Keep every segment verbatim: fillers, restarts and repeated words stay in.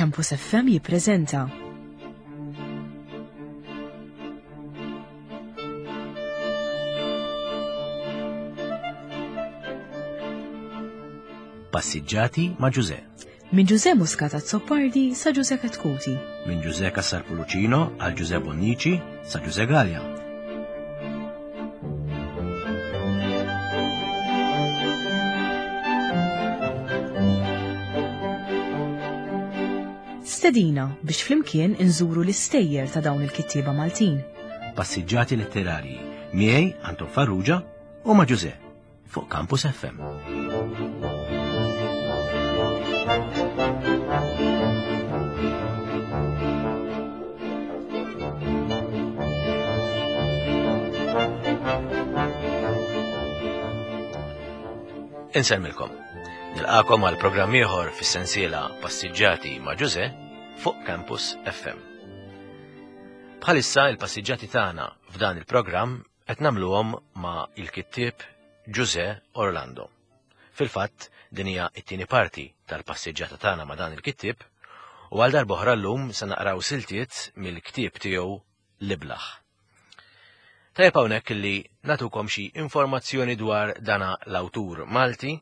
Campus F M jippreżenta Passiġġati ma' Ġuże. Minn Ġuże Muscat Azzopardi sa Ġuże Chetcuti. Minn Ġuże Cassar Pullicino għal Ġuże Bonnici sa Ġuże Galea. Stedina biex flimkien inżuru l-istejjer ta' dawn il-kittieba Maltin. Passiġġati letterarji miegħi Anton Farrugia u ma' Ġuże fuq Campus F M. Insellmilkom. Nilqakom għal programm ieħor fis-sensiela Passiġġati ma' Ġuże fuq Campus F M. Bħalissa il-passiġġati tagħna f'dan il-programm qed nagħmluhom ma' il-kittieb Ġuże Orlando. Fil-fatt, din hija t-tieni parti tal-passiġġata tagħna ma' dan il-kittieb u għal darb'oħra llum se naqraw siltiet mill-ktieb tiegħu L-Iblah. Tajjeb hawnhekk li natukom xi informazzjoni dwar dana l-awtur Malti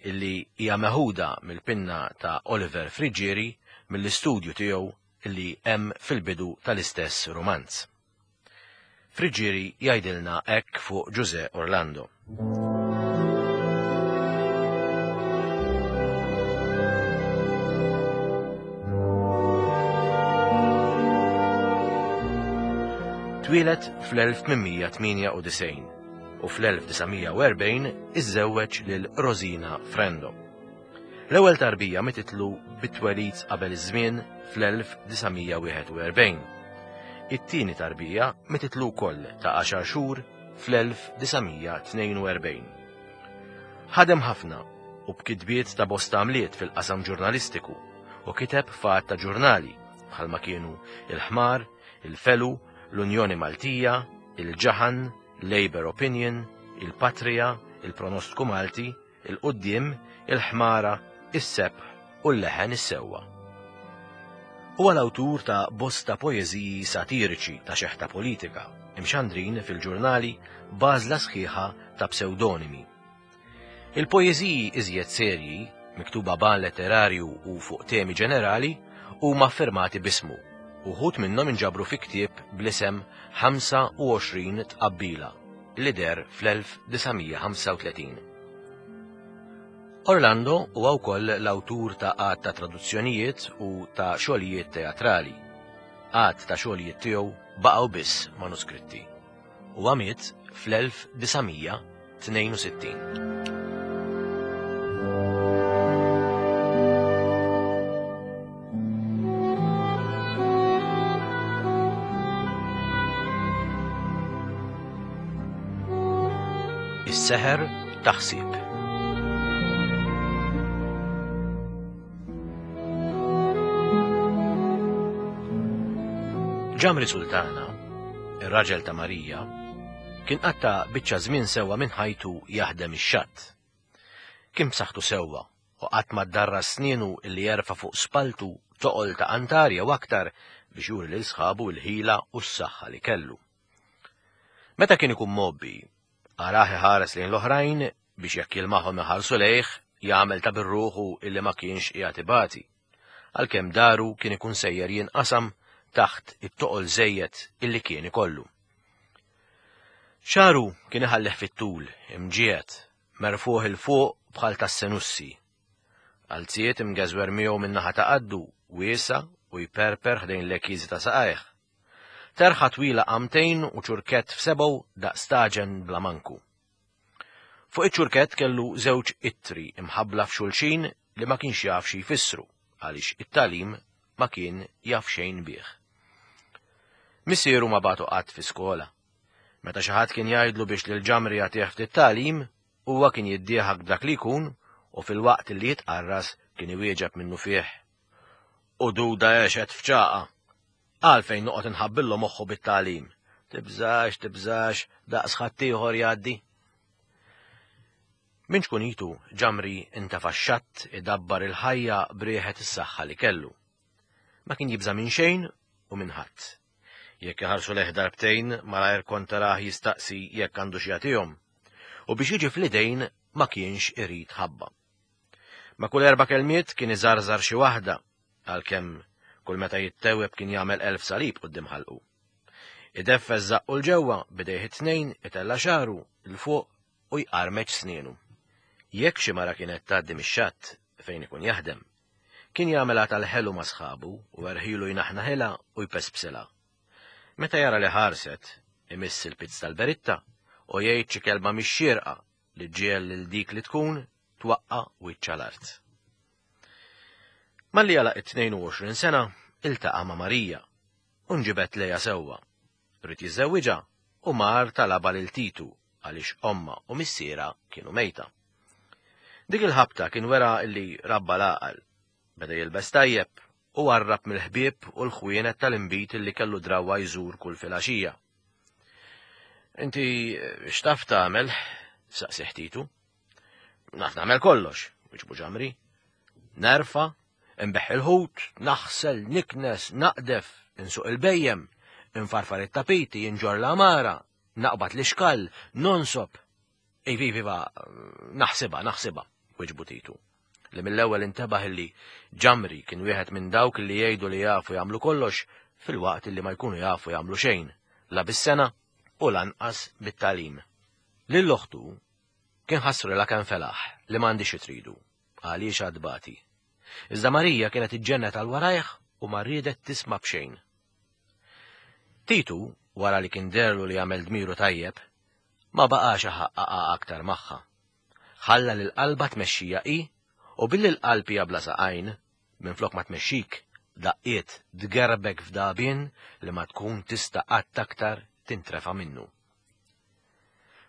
illi hija meħuda mill-pinna ta' Oliver Friggieri mill-istudju tiegħu illi hemm fil-bidu tal-istess rumanz. Friggieri jgħidilna hekk fuq Ġuże Orlando. Twieled fl-elf tmien tmienja u disgħin u fl-elf disa' mija u erbgħin iżżewweġ lil Rosina Frendo. L-ewwel tarbija mititlu bit-twelid qabel iż-żmien fl-elf disa' mija wieħed u erbgħin. It-tieni tarbija mititlu wkoll ta' għaxar xhur fl-elf disa' mija tnejn u erbgħin. Ħadem ħafna u b'kitbiet ta' bosta għamliet fil-qasam ġurnalistiku u kiteb f'għadd ta' ġurnali bħalma kienu Il-Ħmar, Il-Felu, l-Unjoni Maltija, Il-Ġaħan, Labour Opinion, Il-Patria, Il-Pronostku Malti, Il-Quddiem, Il-Ħmara, Is-Sebħ u l-Leħen Is-Sewwa. Huwa l-awtur ta' bosta poeżiji satiriċi ta' xeħta politika, imxandrin fil-ġurnali b'għażla sħiħa ta' pseudonimi. Il-poeżiji iżjed serji, miktuba b'għan letterarju u fuq temi ġenerali, huma affirmati b'ismu. Uħud minnhom inġabru fi ktieb bl-isem ħamsa u għoxrin tqabbila li der fl-elf disa' mija ħamsa u tletin. Orlando huwa wkoll l-awtur ta' għadd ta' traduzzjonijiet u ta' xogħlijiet teatrali. Għadd ta' xogħlijiet tiegħu baqgħu biss manuskritti. Huwa miet fl-elf disa' mija tnejn u sittin. Is-seħer taħsib. Ġamri Sultana, ir-raġel ta' Marija, kien qatta' biċċa żmien sewwa minn ħajtu jaħdem ix-xatt. Kien b'saħħtu sewwa u qatt ma ddarra snienu illi jerfa' fuq spaltu toqol ta' qantar jew aktar biex juri lil sħabu l-ħila u s-saħħa li kellu. Meta kien ikun mgħobbi, arah iħares lejn l-oħrajn biex jekk jilmaħhom iħarsu lejh jagħmel ta' birruħu illi ma kienx qiegħed ibati, għalkemm daru kien ikun sejjer jinqasam taħt it-toqol żejjed illi kien ikollu. Xaru kien iħallih fit-tul, imġiegħed, merfuħ il fuq bħal tas-senussi. Għalziet imgeżwer miegħu min-naħa ta' qaddu, wiesa u jperper ħdejn l-ekiżi ta' saqajh. Terħa twila qamtejn u ċurkett f'sebgħu daqs taġen bla manku. Fuq iċ-ċurkett kellu żewġ ittri imħabbla f'xulxin li ma kienx jaf xi jfissru għaliex it-tagħlim ma kien jaf xejn bih. Missieru ma bagħtu qatt fi skola. Meta xi ħadd kien jgħidlu biex lil Ġamri jagħtih ftit tagħlim, huwa kien jiddieħak b'dak li jkun u fil-waqt li jitqarras kien iwieġeb minnu fih. U duda għexet f'ċaqa. Għalfejn noqgħod inħabbillu moħħu bit-tagħlim. Tibżax, tibżax, daqs ħaddieħor jgħaddi. Minn ċkunitu Ġamri intafa' x-xatt idabbar il-ħajja brieħet is-saħħa li kellu. Ma kien jibża' minn xejn u minn ħadd. Jekk iħarsu lejh darbtejn, malajr kont tarah jistaqsi jekk għandu xi jagħtihom. U biex jiġi fl-idejn ma kienx irid ħabba. Ma kull erba' kelmiet kien iżarżar xi waħda, għalkemm kull meta jittewweb kien jagħmel elf salib quddiem ħalqu. Ideffeż żaqqu 'l ġewwa b'idejh it-tnejn, itella' xagħru 'l fuq u jqarmeċ snienu. Jekk xi mara kienet tgħaddi mix-xatt fejn ikun jaħdem, kien jagħmilha tal-ħelu ma' sħabu u erħilu jnaħnaħilha u jpespsilha. Meta jara li ħarset, imiss il-pizz tal-beritta u jgħid xi kelma mhix xierqa li ġiel lil dik li tkun twaqqa' wiċċha l-art. Malli għalaq it-tnejn u għoxrin sena, iltaqa' ma' Marija u nġibed lejha sewwa. Ried jiżżewwiġha u mar talabha lil Titu għaliex omma u missiera kienu mejta. Dik il-ħabta kien wera li rabba l-għaqal, beda jilbes tajjeb u warrab mill-ħbieb u l-ħwienet tal-inbid li kellu drawwa jżur kull filgħaxija. Inti x'taf tagħmel? Saqsih Titu. Naf nagħmel kollox, wiġbu Ġamri. Nerfa, nbeħħ il-ħut, naħsel, niknes, naqdef, insuq il-bejjem, infarfar it-tapiti, inġorr l-għamara, naqbad l-ixkall, nonsob. Iva, iva, naħsibha, naħsibha, wiġbu Titu, li mill-ewwel intebaħ illi Ġamri kien wieħed minn dawk li jgħidu li jafu jagħmlu kollox fil-waqt li ma jkunu jafu jagħmlu xejn, la bis-sena u lanqas bit-tagħlim. Lil oħtu kien ħassrilha kemm felaħ li m'għandix tridu, għaliex għadbati. Iżda Marija kienet iġġennet għal warajh u ma riedet tisma' b'xejn. Titu, wara li kien derlu li għamel dmiru tajjeb, ma baqax iħaqqaqha aktar magħha. Ħalla lil qalba tmexxija hi u billi l-qalb hija bla saqajn, minflok ma tmexxik, daqqiet tgerbek f'dagħbien li ma tkun tista' qatt aktar tintrefa' minnu.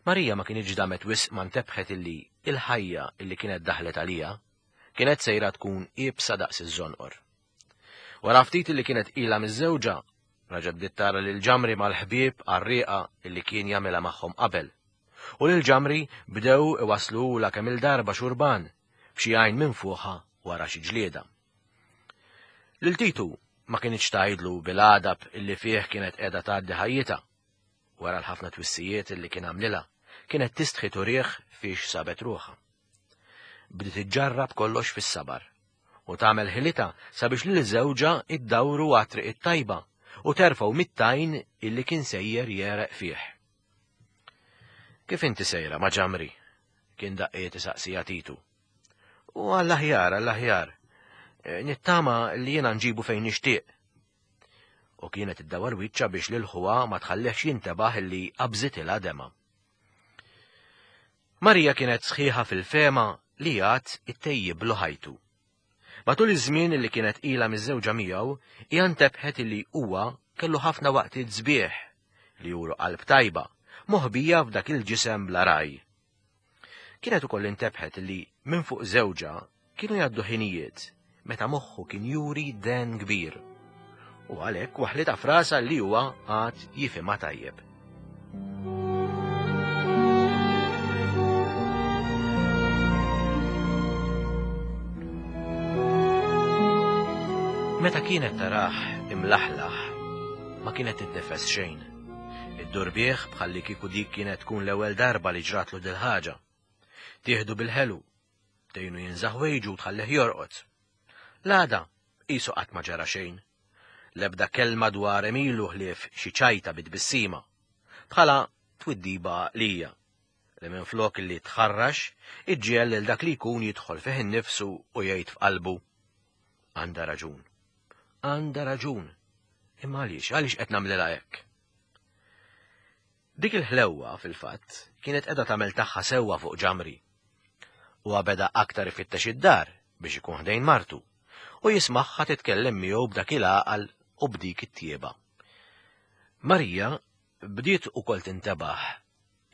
Marija ma kienx damet wisq ma ntebħet illi il-ħajja illi kienet daħlet għalija kienet sejra tkun iebsa daqs iż-żonqor. Wara ftit illi kienet ilha miż-żewġa, raġa' bdiet tara lil Ġamri mal-ħbieb għarrieqa illi kien jagħmilha magħhom qabel. U lil Ġamri bdew iwaslula kemm il-darba xurban b'xi għajn minn fuqha wara xi ġlieda. Lil Titu ma kienx tgħidlu bil-għadab illi fih kienet qiegħda tgħaddi ħajjitha. Wara l-ħafna twissijiet illi kien għamlilha, kienet tistħi turih fiex sabet ruħha. Bdiet iġġarrab kollox fis-sabar u tagħmel ħilitha sabiex lil żewġha iddawru għat-triq it-tajba u terfgħu mit-tajn illi kien sejjer jereq fih. Kif inti sejra ma' Ġamri? Kien daqqiet isaqsija Titu. U għall-aħjar, għall-aħjar, nittama li jiena nġibu fejn nixtieq. U kienet iddawar wiċċha biex lil ħuha ma tħallihx jintebaħ illi qabżitilha dema. Marija kienet sħiħa fil-fema li għad ittejjiblu ħajtu. Matul iż-żmien li kienet ilha miż-żewġa miegħu, hija ntebħet illi huwa kellu ħafna waqtiet sbieħ li juru qalb tajba, moħbija f'dak il-ġisem bla raj. Kienet ukoll intebħet li minn fuq żewġha kienu jgħaddu ħinijiet meta moħħu kien juri den kbir. U għalhekk waħlitha frasa li huwa għad jifhimha tajjeb. Meta kienet tarah imlaħlaħ, ma kienet tiddefes xejn. Iddur bih bħalli kieku dik kienet tkun l-ewwel darba li ġratlu dil-ħaġa. Tieħdu bil-ħelu, tgħinu jinżaħ wejġu u tħallih jorqod. L-għada qisu qatt ma ġara xejn. L-ebda kelma dwar Emilu ħlief xi ċajta bit-tbissima, bħala twiddiba għaqlija li minflok li tħarrax iġġiegħel lil dak li jkun jidħol fih innifsu u jgħid f'qalbu: għandha raġun. Għandha raġun. Imma għaliex, għaliex qed nagħmlilha hekk? Dik il-ħlewwa fil-fatt kienet qiegħda tagħmel tagħha sewwa fuq Ġamri. Huwa beda aktar ifittex id-dar biex ikun ħdejn martu u jismagħha titkellem miegħu b'dak il-għaqal u b'dik it-tjieba. Marija bdiet ukoll tintebaħ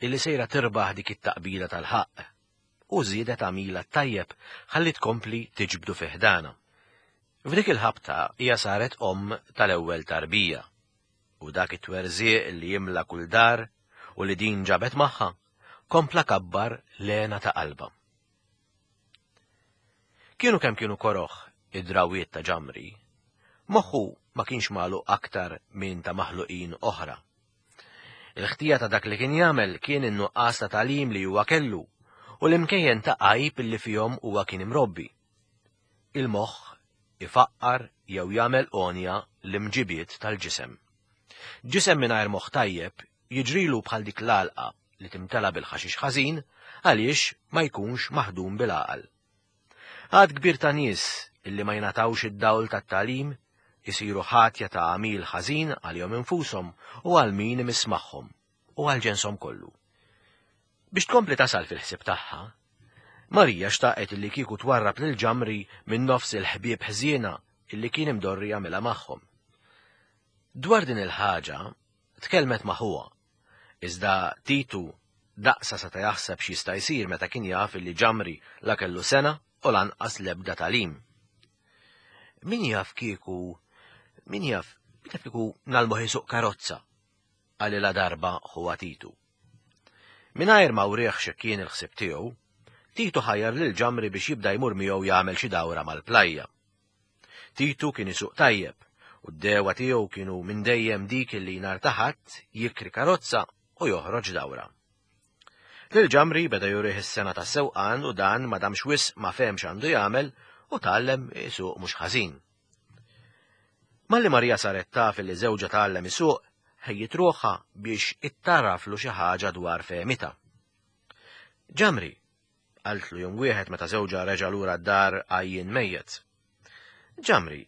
illi sejra tirbaħ dik it-taqbila tal-ħaqq u żiedet għamila tajjeb ħalli tkompli tiġbdu fi ħdana. F'dik il-ħabta hija saret omm tal-ewwel tarbija u dak it-twerżieq li jimla kull dar u li din ġabet magħha kompla kabbar l-għena ta' qalba. Kienu kemm kienu koroħ id-drawiet ta' Ġamri, Moħħu ma kienx magħluq aktar minn ta' maħluqin oħra. Il-ħtija ta' dak li kien jagħmel kien in-nuqqas ta' tagħlim li huwa kellu u l-imkejjen ta' għajb li fihom huwa kien imrobbi. Il-moħħ ifaqqar jew jagħmel għonja l-imġibiet tal-ġisem. Ġisem mingħajr moħħ tajjeb jiġrilu bħal dik l-għalqa li timtela bil-ħaxix ħażin għaliex ma jkunx maħdum bil-għaqal. Għad kbir ta' nies illi ma jingħatawx id-dawl tat-tagħlim isiru ħatja ta' għamil ħażin għalihom infushom u għal min imiss magħhom u għal ġenshom kollu. Biex tkompli tasal fil-ħsieb tagħha, Marija xtaqet illi kieku twarrab lil Ġamri minn nofs il-ħbieb ħżiena illi kien imdorri jagħmilha magħhom. Dwar din il-ħaġa tkellmet ma' ħuha, iżda Titu daqsa seta' jaħseb x'jista' jsir meta kien jaf illi Ġamri la kellu sena u lanqas l-ebda tagħlim. Min jaf kieku, min jaf, min jaf kieku nagħlmuh isuq karozza, qalilha darba ħuha Titu. Mingħajr ma wrieħ xi kien il-ħsieb tiegħu, Titu ħajjar lil Ġamri biex jibda jmur miegħu jagħmel xi dawra mal-plajja. Titu kien isuq tajjeb u d-dewa tiegħu kienu minn dejjem dik li nhar ta' Ħadd jikri karozza u joħroġ dawra. Lil Ġamri beda jurih is-sena tas-sewqan u dan ma damx wisq ma fehmx għandu jagħmel u tgħallem isuq mhux ħażin. Malli Marija saret taf li żewġha tgħallem isuq, ħejjiet ruħha biex ittaraflu xi ħaġa dwar fehmitha. Ġamri, qaltlu jum wieħed meta żewġha reġa' lura d-dar għajjien mejjet. Ġamri,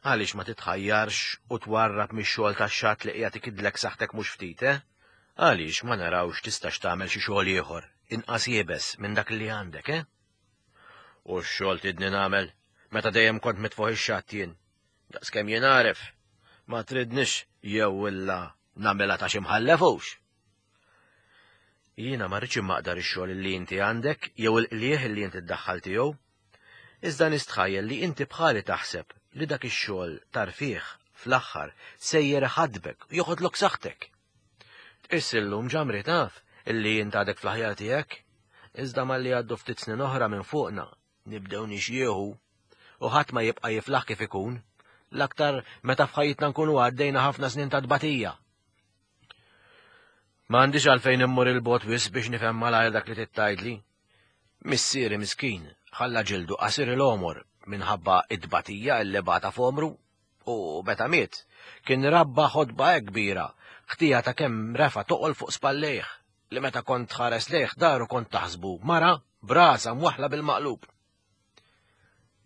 għaliex ma titħajjarx u twarrab mix-xogħol tax-xatt li qiegħed ikidlek saħħtek mhux ftit, eh? Għaliex ma narawx tistax tagħmel xi xogħol ieħor inqas iebes minn dak li għandek, eh? U x-xogħol tidni nagħmel meta dejjem kont mitfuħ ix-xatt jien. Daqskemm jien għaref, ma tridnix jew illa nagħmilha ta' xi mħallefux. Jiena ma rridx immaqdar ix-xogħol li inti għandek jew il-qlieħ li inti ddaħħal tiegħu. Iżda nistħajjel li inti bħali taħseb li dak ix-xogħol tarfih fl-aħħar sejjer iħadbek u joħodlok saħħtek. Tqiss illum Ġamri taf illi int għadek fl-aħjar tiegħek, iżda malli għaddu ftit snin oħra minn fuqna nibdew nixjieħu u ħadd ma jibqa' jiflaħ kif ikun, l-aktar meta f'ħajjitna nkunu għaddejna ħafna snin ta' tbatija. Ma għandix għalfejn immur il-bot wisq biex nifhem malajr dak li tittajtli. Missieri miskin ħalla ġildu qasir il-għomor minħabba id-tbatija illi bata f'għomru u meta miet kien rabba ħodba hekk kbira, ħtija ta' kemm refa toqol fuq spallejh li meta kont tħares lejh daru kont taħsbu mara brasa mwaħla bil-maqlub.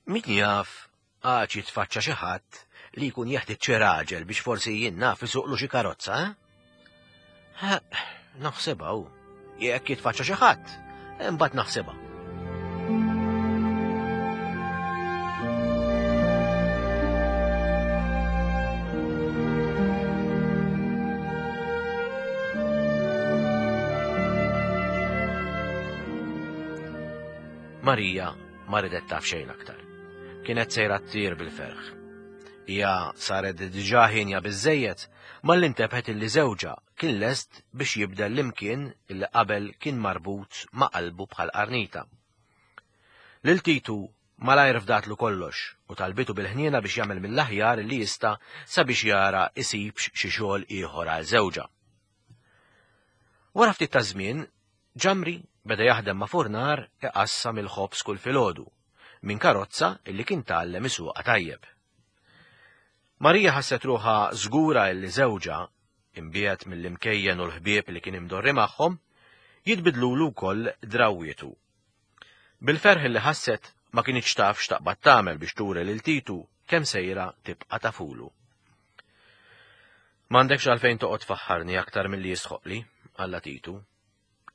Min jaf għax jitfaċċa xi ħadd li jkun jeħtieġ xi raġel biex forsi jien naf isuqlu xi karozza, eh? Ha, naħsebha hu. Jekk jitfaċċa xi ħadd, imbagħad naħsebha. Marija ma ridet taf xejn aktar. Kienet sejra ttir bil-ferħ. Hija saret diġà ħinja biżżejjed malli intebħet illi żewġha kien lest biex jibdel l-imkien illi qabel kien marbut ma' qalbu bħal qarnita. Lil Titu malajr fdatlu kollox u talbitu bil-ħniena biex jagħmel mill-aħjar li jista' sabiex jara isibx xi xogħol ieħor għal żewġha. Wara ftit ta' żmien, Ġamri beda jaħdem ma' furnar iqassam il-ħobż kull filgħodu minn karozza illi kien tgħallem isuqha tajjeb. Marija ħasset ruħha żgura illi żewġha, imbiegħed mill-imkejjen u l-ħbieb li kien imdorri magħhom, jitbidlulu wkoll drawwietu. Bil-ferħ li ħasset ma kinitx taf x'taqbad tagħmel biex turi lil Titu kemm sejra tibqa' tafulu. M'għandekx għalfejn toqgħod tfaħħarni aktar milli jisħoqli, qalla Titu.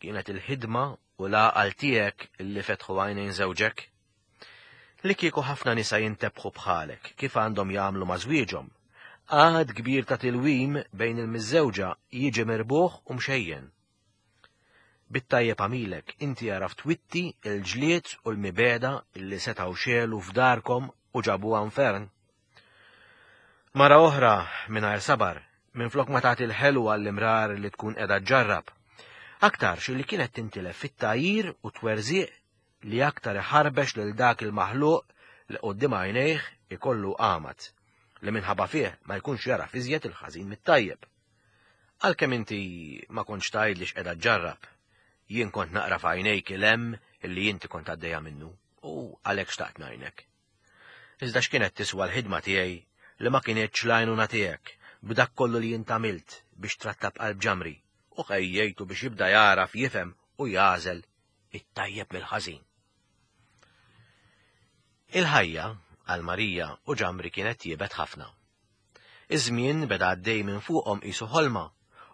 Kienet il-ħidma u l-għaqal tiegħek illi fetħu għajnejn żewġek. Li kieku ħafna nisa jintebħu bħalek kif għandhom jagħmlu ma' żwieġhom, għad kbir ta' tilwim bejn il-miżżewġa jiġi mirbuħ u mxejjen. Bit-tajjeb għamilek inti għaraf twitti il-ġlied u l-mibeda illi setgħu xelu f'darkom u ġabuha infern. Mara oħra mingħajr sabar, minflok ma tagħti l-ħelu għall-imrar li tkun qiegħda ġġarrab, aktarx li kienet tintilef fit-tagħjir u twerżiq li aktar iħarbex lil dak il-maħluq li quddiem għajnejh ikollu qamat, li minħabba fih ma jkunx jara iżjed il-ħażin mit-tajjeb. Għalkemm inti ma kontx tgħidli x'qiegħda ġġarrab, jien kont naqra f'għajnejk il-hemm illi inti kont għaddejja minnu u għalhekk xtaqt ngħinek. Iżda x'kienet tiswa l-ħidma tiegħi li ma kinitx l-għajnuna tiegħek b'dak kollu li jint għamilt biex trattab qalb Ġamri u ħejjejtu biex jibda jaraf jifhem u jagħżel it-tajjeb mill-ħażin. Il-ħajja għal Marija u Ġamri kienet tjiebet ħafna. Iż-żmien beda għaddej minn fuqhom qisu ħolma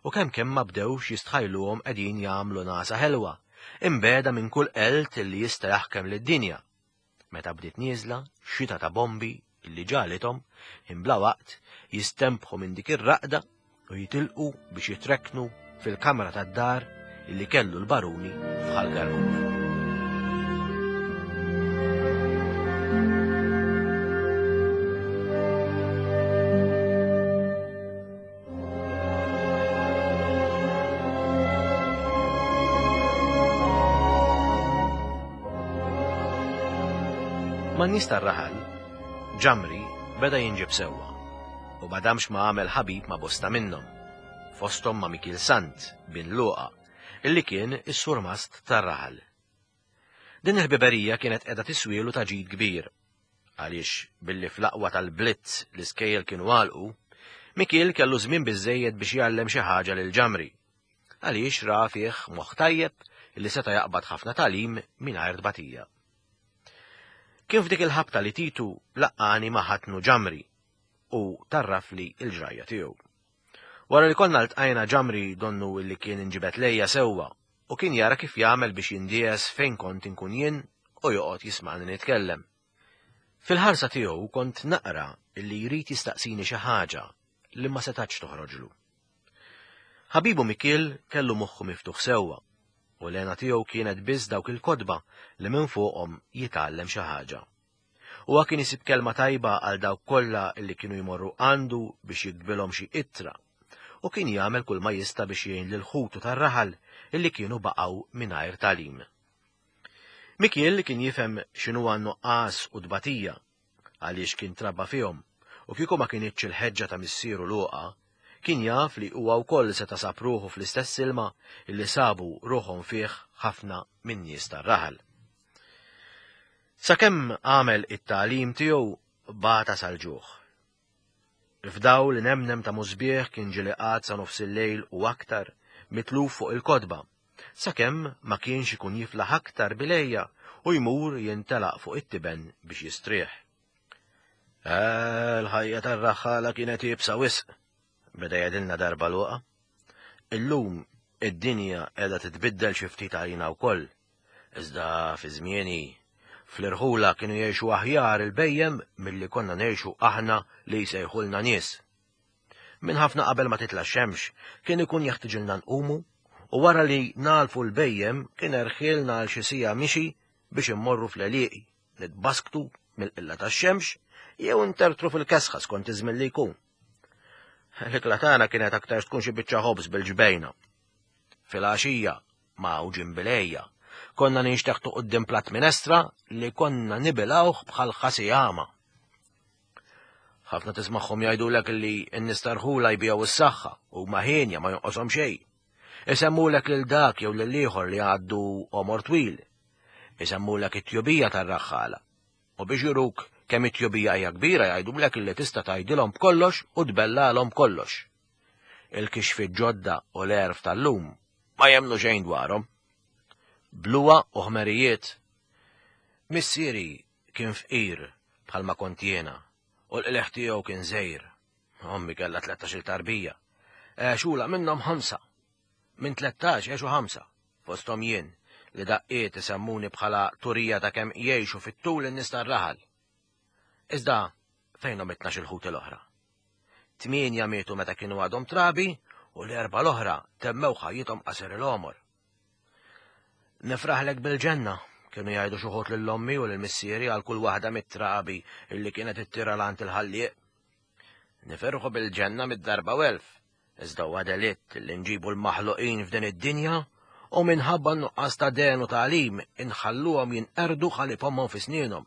u kemm kemm ma bdewx jistħajluhom qegħdin jagħmlu nasa ħelwa, imbeda minn kull qelt li jista' jaħkem lid-dinja. Meta bdiet nieżla xita ta' bombi illi ġalithom imbla waqt jistempħu minn dik ir-raqda u jitilqu biex jitrekknu fil-kamra tad-dar illi kellu l-baruni f'Ħal Garguf. Man-nies tar-raħal, Ġamri beda jinġib sewwa u ma damx ma għamel ħabib ma' bosta minnhom, fosthom ma' Mikiel Sant bin Luqa, illi kien is-surmast tar-raħal. Din il-ħbiberija kienet qiegħda tiswielu ta' ġid kbir, għaliex billi fl-aqwa tal-blitz l-iskejjel kienu għalqu, Mikiel kellu żmien biżżejjed biex jgħallem xi ħaġa lil Ġamri, għaliex ra fih moħħ tajjeb illi seta' jaqbad ħafna tagħlim mingħajr tbatija. Kien f'dik il-ħabta li Titu laqqani ma' ħatnu Ġamri u tarrafli il-ġrajja tiegħu. Wara li konna ltqajna Ġamri donnu illi kien inġibet lejja sewwa u kien jara kif jagħmel biex jindies fejn kont inkun jien u joqgħod jisma'ni nitkellem. Fil-ħarsa tiegħu kont naqra illi jrid jistaqsini xi ħaġa li ma setax toħroġlu. Ħabibu Mikiel kellu moħħu miftuħ sewwa u l-għena tiegħu kienet biss dawk il-kotba li minn fuqhom jitgħallem xi ħaġa. Huwa kien isib kelma tajba għal dawk kollha li kienu jmorru għandu biex jiktbilhom xi ittra u kien jagħmel kull ma jista' biex jgħin lil ħutu tar-raħal illi kienu baqgħu mingħajr tagħlim. Mikiel kien jifhem x'inhu nuqqas u tbatija għaliex kien trabba fihom u kieku ma kinitx il-ħeġġa ta' missieru Luqa, kien jaf li huwa wkoll seta' sab ruħu fl-istess ilma illi sabu ruħhom fih ħafna min nies tar-raħal. Sakemm għamel it-tagħlim tiegħu bata sal-ġuħ. F'dawl li nemnem ta' musbieħ kien ġieli qagħad sa nofs il-lejl u aktar mitluf fuq il-kotba, sakemm ma kienx ikun jiflaħ aktar bilejja u jmur jintelaq fuq it-tiben biex jistrieħ. Il-ħajja tar-raħħala kienet iebsa wisq, beda jgħidilna darba Luqa. Illum id-dinja qiegħda titbiddel xi ftit għalina wkoll. Iżda fi żmieni fl-irħula kienu jgħixu aħjar il-bejjem milli konna ngħixu aħna li jsejħulna nies. Minn ħafna qabel ma titla' x-xemx kien ikun jeħtieġilna nqumu u wara li nagħlfu l-bejjem kien erħilna għal xi siegħa mixi biex immorru fl-għelieqi, nitbasktu mill-qilla tax-xemx jew intertru fil-kesħa skont iż-żmien li jkun. L-ikla tagħna kienet aktar tkun xi biċċa ħobż bil-ġbejna. Fil-għaxija ma' ġimbilejja konna ninxteħtu quddiem platt minestra li konna nibilgħuh bħal ħasijama. Ħafna tismagħhom jgħidulek li n-nies tar-ħula jbigħu s-saħħa u ma ħienja ma jonqoshom xejn. Isemmulek lil dak jew lil ieħor li għaddu għomor twil. Isemmulek it-tjubija tar-raħħala. U biex juruk kemm it-tjubija hija kbira jgħidulek illi tista' tgħidilhom b'kollox u tbellalhom kollox. Il-kixfiet ġodda u l-għerf tal-lum ma jemmnu xejn dwarhom. Bluwa u ħmerijiet. Missieri kien fqir bħalma kont jiena u l-qleħ tiegħu kien żgħir. Ommi kellha tlettax-il tarbija. Għexula minnhom ħamsa. Minn tlettax għexu ħamsa, fosthom jien li daqqiet isemmuni bħala turija ta' kemm jgħixu fit-tul in-nies tar-raħal. Iżda fejnhom it-tnax il-ħut l-oħra? Tmienja mietu meta kienu għadhom trabi u l-erba' l-oħra temmew ħajjithom qasir il-għomor. Nifraħlek bil-ġenna, kienu jgħidu xi wħud lil ommi u lil missieri għal kull waħda mit-trabi illi kienet ittira lant il-ħallieq. Nifirħu bil-ġenna mid-darba u elf, iżda huwa delitt li nġibu l-maħluqin f'din id-dinja u minħabba n-nuqqas ta' den u tagħlim inħalluhom jinqerdu ħalib ommhom fi snienhom.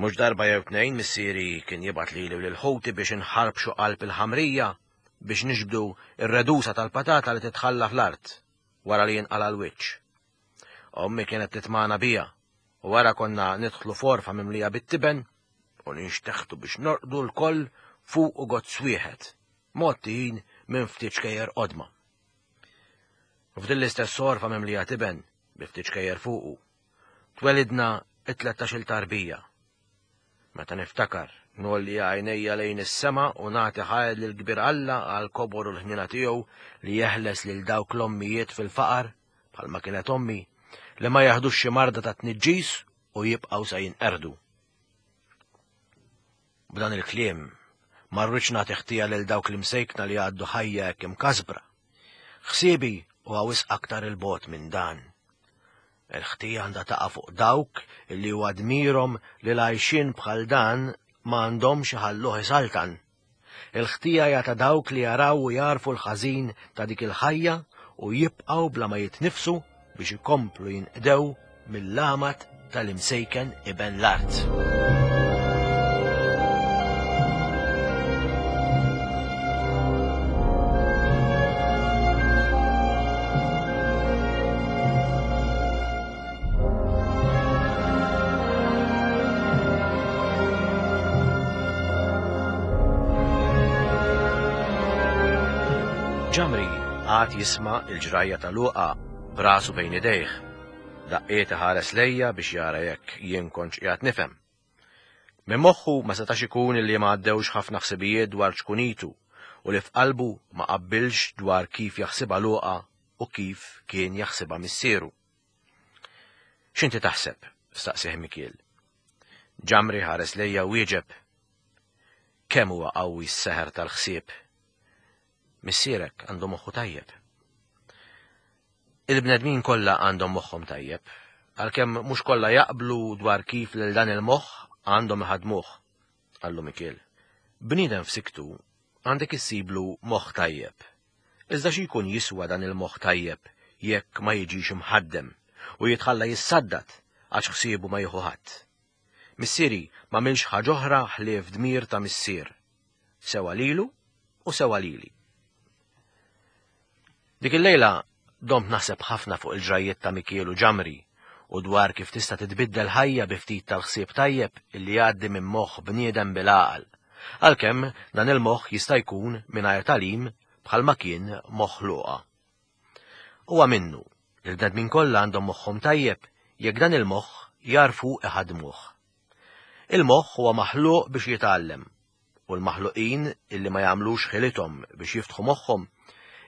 Mhux darba jew tnejn missieri kien jibgħat lili u lil ħuti biex inħarbxu qalb il-ħamrija biex niġbdu ir-redusa tal-patata li titħalla fl-art wara li jinqala l-wiċċ. Ommi kienet titmana bija u wara konna nidħlu forfa mimlija bit-tiben u ninxteħtu biex norqdu l-koll fuq u gozz wieħed, mgħottijin minn ftit xkejjer qodma. F'din l-istess sorfa mimlija tiben bi ftit xkejjer fuqu, twelidna it-tlettax-il tarbija. Meta niftakar, nolli għajnejja lejn is-sema u nagħti ħajr lil kbir Alla għal kobor u l-ħnina tiegħu li jeħles lil dawk l-ommijiet fil-faqar, bħalma kienet ommi, li ma jaħdux xi marda ta' tniġġis u jibqgħu sa jinqerdu. B'dan il-kliem ma rridx nagħti ħtija lil dawk l-imsejkna li għaddu ħajja hekk imkasbra. Ħsiebi huwa wisq aktar il-bogħod minn dan. Il-ħtija għandha taqa' fuq dawk illi huwa dmirhom li l-għajxien bħal dan ma għandhomx iħalluh isaltan. Il-ħtija hija ta' dawk li jaraw u jarfu l-ħażin ta' dik il-ħajja u jibqgħu bla ma jitnifsu biex ikomplu jinqdew mill-għamad tal-imsejken iben l-art. Ġamri għad jisma' il-ġrajja ta' Luqa b'rasu bejn idejh. Daqqiet iħares lejja biex jara jekk jien kontx qiegħed nifhem. Minn moħħu ma setax ikun illi ma għaddewx ħafna ħsibijiet dwar ċkunitu u li f'qalbu ma qabbilx dwar kif jaħsibha Luqa u kif kien jaħsibha missieru. X'inti taħseb? Staqsih Mikiel. Ġamri ħares lejja u wieġeb. Kemm huwa qawwi s-seħer tal-ħsieb. Missierek għandu moħħu tajjeb. Il-bnedmin kollha għandhom moħħhom tajjeb, għalkemm mhux kollha jaqblu dwar kif lil dan il-moħħ għandhom iħadmuh, qallu Mikiel. Bniedem f'siktu għandek issiblu moħħ tajjeb. Iżda xi jkun jiswa dan il-moħħ tajjeb jekk ma jiġix imħaddem u jitħalla jissaddat għax ħsiebu ma jieħu ħadd. Missieri ma milx ħaġa oħra ħlief dmir ta' missier, sewa lilu u sewa lili. Dik il-lejla domt naħseb ħafna fuq il-ġrajjiet ta' Mikiel u Ġamri u dwar kif tista' titbiddel ħajja bi ftit tal-ħsieb tajjeb illi jgħaddi minn moħħ bniedem bil-għaqal, għalkemm dan il-moħħ jista' jkun mingħajr tagħlim bħalma kien moħħ Luqa. Huwa minnu li l-bnedmin kollha għandhom moħħhom tajjeb jekk dan il-moħħ jarfu iħadmuh. Il-moħħ huwa maħluq biex jitgħallem u l-maħluqin illi ma jagħmlux ħilithom biex jiftħu moħħhom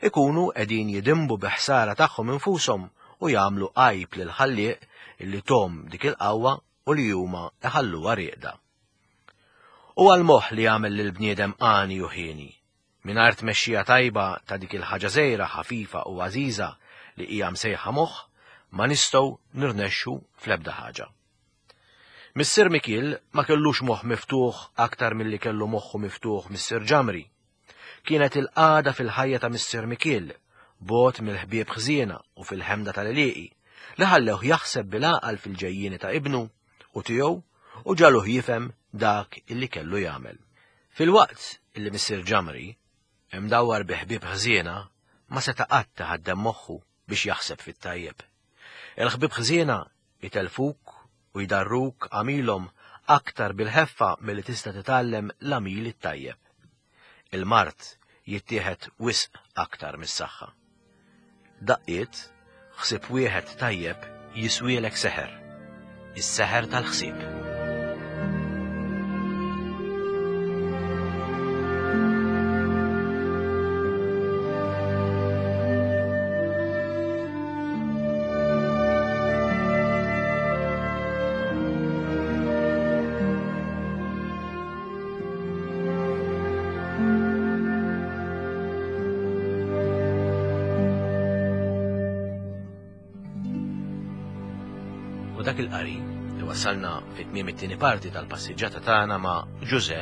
ikunu qegħdin jidimbu bi ħsara tagħhom infushom u jagħmlu għajb lil ħallieq illi tom dik il-qawwa u li huma iħalluha rieqda. Huwa l-moħħ li jagħmel lil bniedem għani u ħieni, mingħajr tmexxija tajba ta' dik il-ħaġa żgħira ħafifa u għażiża li hija msejħa moħħ, ma nistgħu nirnexxu fl-ebda ħaġa. Missier Mikiel ma kellux moħħ miftuħ aktar milli kellu moħħu miftuħ Missier Ġamri. Kienet il-qagħda fil-ħajja ta' Missier Mikiel, bogħod mill-ħbieb ħżiena u fil-ħemda tal-għelieqi, li ħallewh jaħseb bil-għaqal fil-ġejjieni ta' ibnu u tiegħu u ġaluh jifhem dak illi kellu jagħmel. Filwaqt illi Missier Ġamri, imdawwar bi ħbieb ħżiena, ma seta' qatt iħaddem moħħu biex jaħseb fit-tajjeb. Il-ħbieb ħżiena jitelfuk u jdarruk għamilhom aktar bil-ħeffa milli tista' titgħallem l-għamil it-tajjeb. Il-mard jittieħed wisq aktar mis-saħħa. Daqqiet, ħsieb wieħed tajjeb jiswielek seħer, is-seħer tal-ħsieb. U dak il-qari li wassalna fit-tmiem it-tieni parti tal-passiġġata tagħna ma' Ġużè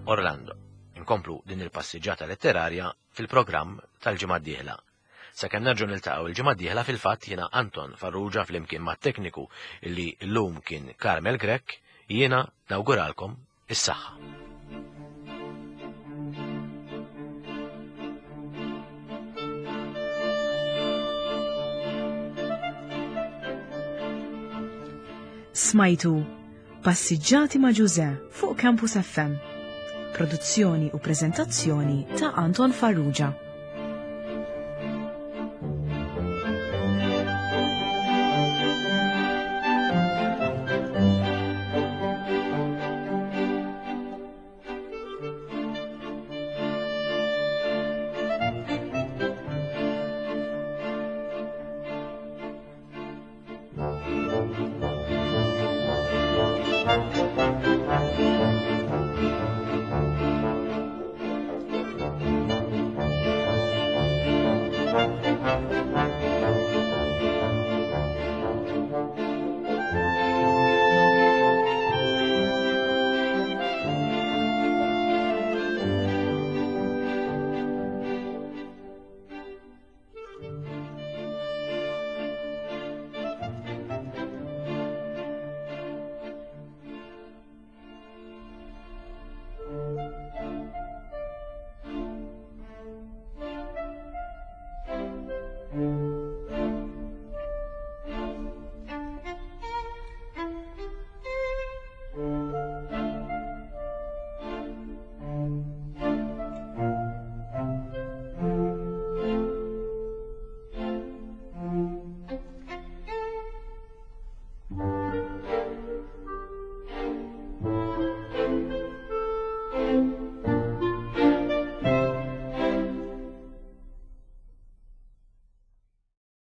Orlando. Inkomplu din il-passiġġata letterarja fil-programm tal-ġimgħa d-dieħla. Sakemm nerġgħu niltaqgħu il-ġimgħa d-dieħla fil-fatt jiena Anton Farrugia flimkien mat-tekniku illi llum kien Carmel Grech Jiena nawguralkom is-saħħa. Smajtu Passiġġati ma' Ġuże fuq Campus F M. Produzzjoni u preżentazzjoni ta' Anton Farrugia.